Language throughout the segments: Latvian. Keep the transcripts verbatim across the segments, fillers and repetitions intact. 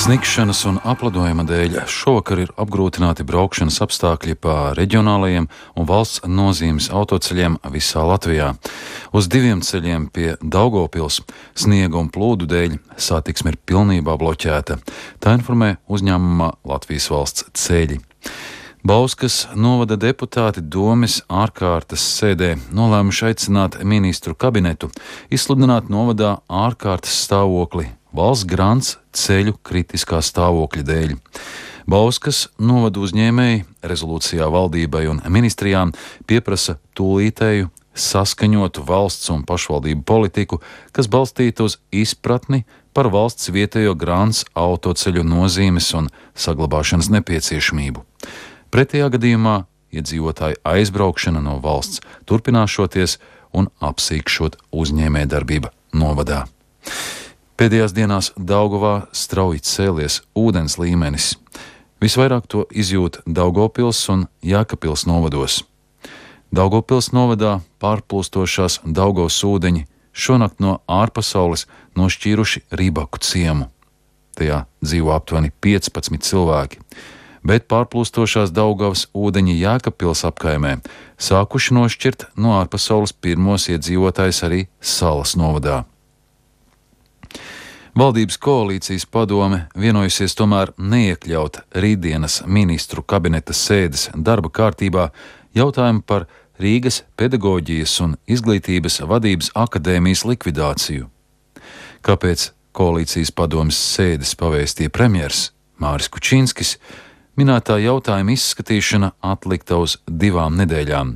Sniegšanas un apledojuma dēļ šovakar ir apgrūtināti braukšanas apstākļi pa reģionālajiem un valsts nozīmes autoceļiem visā Latvijā. Uz diviem ceļiem pie Daugavpils sniega un plūdu dēļ satiksme ir pilnībā bloķēta. Tā informē uzņēmumā Latvijas valsts ceļi. Bauskas novada deputāti Domes ārkārtas sēdē nolēmuši aicināt ministru kabinetu izsludināt novadā ārkārtas stāvokli valsts grants ceļu kritiskā stāvokļa dēļ. Bauskas novada uzņēmēji rezolūcijā valdībai un ministrijām pieprasa tūlītēju saskaņotu valsts un pašvaldību politiku, kas balstīta uz izpratni par valsts vietējo grants autoceļu nozīmes un saglabāšanas nepieciešamību. Pretējā gadījumā iedzīvotāju aizbraukšana no valsts turpināšoties un apsīkšot uzņēmējdarbība novadā. Pēdējās dienās Daugavā strauji cēlies ūdens līmenis. Visvairāk to izjūt Daugavpils un Jēkabpils novados. Daugavpils novadā pārplūstošās Daugavas ūdeņi šonakt no ārpasaules nošķīruši Rībaku ciemu. Tajā dzīvo aptuveni piecpadsmit cilvēki. Bet pārplūstošās Daugavas ūdeņi Jēkabpils apkaimē sākuši nošķirt no ārpasaules pirmos iedzīvotājus arī Salas novadā. Valdības koalīcijas padome vienojusies tomēr neiekļaut rītdienas ministru kabineta sēdes darba kārtībā jautājumu par Rīgas pedagoģijas un izglītības vadības akadēmijas likvidāciju. Kāpēc koalīcijas padomes sēdes pavēstīja premjers Māris Kučinskis, minētā jautājuma izskatīšana atlikta uz divām nedēļām,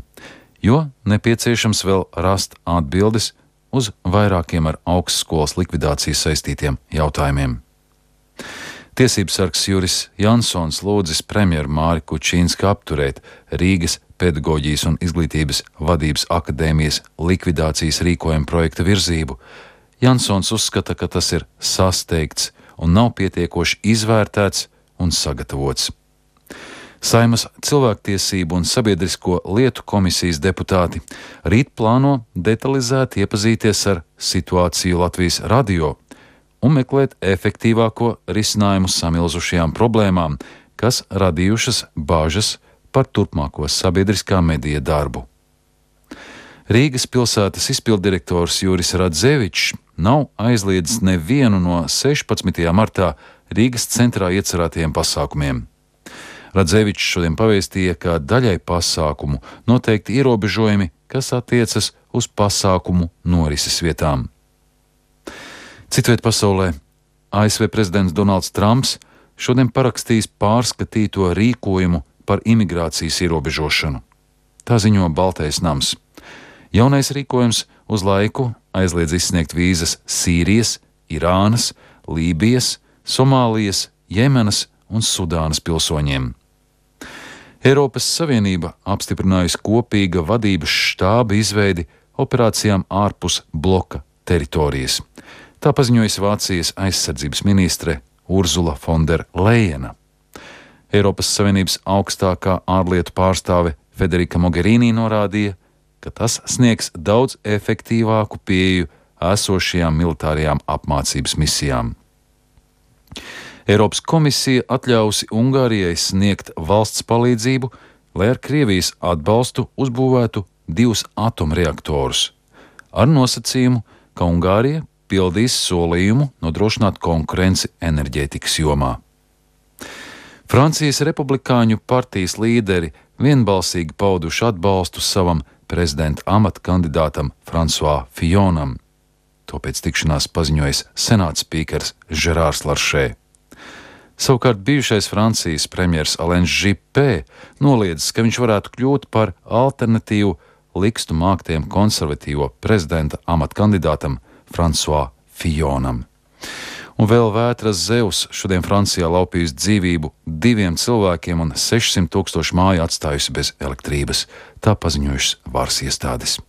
jo nepieciešams vēl rast atbildes uz vairākiem ar augstskolas likvidāciju saistītiem jautājumiem. Tiesības sargs Juris Jansons lūdzis premjeru Māri Kučinski apturēt Rīgas pedagoģijas un izglītības vadības akadēmijas likvidācijas rīkojuma projekta virzību. Jansons uzskata, ka tas ir sasteigts un nav pietiekoši izvērtēts un sagatavots. Saeimas cilvēktiesību un sabiedrisko lietu komisijas deputāti rīt plāno detalizēti iepazīties ar situāciju Latvijas radio un meklēt efektīvāko risinājumu samilzušajām problēmām, kas radījušas bāžas par turpmāko sabiedriskā medija darbu. Rīgas pilsētas izpilddirektors Juris Radzevičs nav aizliedzis nevienu no sešpadsmitajā martā Rīgas centrā iecerētajiem pasākumiem. Radzevičs šodien pavēstīja, ka daļai pasākumu noteikti ierobežojumi, kas attiecas uz pasākumu norises vietām. Citviet pasaulē A S V prezidents Donalds Trumps šodien parakstījis pārskatīto rīkojumu par imigrācijas ierobežošanu. Tā ziņo Baltais nams. Jaunais rīkojums uz laiku aizliedz izsniegt vīzas Sīrijas, Irānas, Lībijas, Somālijas, Jemenas un Sudānas pilsoņiem. Eiropas Savienība apstiprinājusi kopīga vadības štāba izveidi operācijām ārpus bloka teritorijas. Tā paziņojas Vācijas aizsardzības ministre Urzula von der Leyena. Eiropas Savienības augstākā ārlietu pārstāve Federika Mogherini norādīja, ka tas sniegs daudz efektīvāku pieeju esošajām militārajām apmācības misijām. Eiropas komisija atļausi Ungārijai sniegt valsts palīdzību, lai ar Krievijas atbalstu uzbūvētu divus atomreaktorus, ar nosacījumu, ka Ungārija pildīs solījumu nodrošināt konkurenci enerģētikas jomā. Francijas republikāņu partijas līderi vienbalsīgi pauduši atbalstu savam prezidenta amata kandidātam François Fillonam. To pēc tikšanās paziņojis senāta spīkers Žerārs Laršē. Savukārt bijušais Francijas premjers Alains Juppé noliedzis, ka viņš varētu kļūt par alternatīvu likstu māktiem konservatīvo prezidenta amata kandidātam François Fillonam. Un vēl vētras Zeus šodien Francijā laupījusi dzīvību diviem cilvēkiem un sešsimt tūkstošu māju atstājusi bez elektrības. Tā paziņojušas varas iestādes.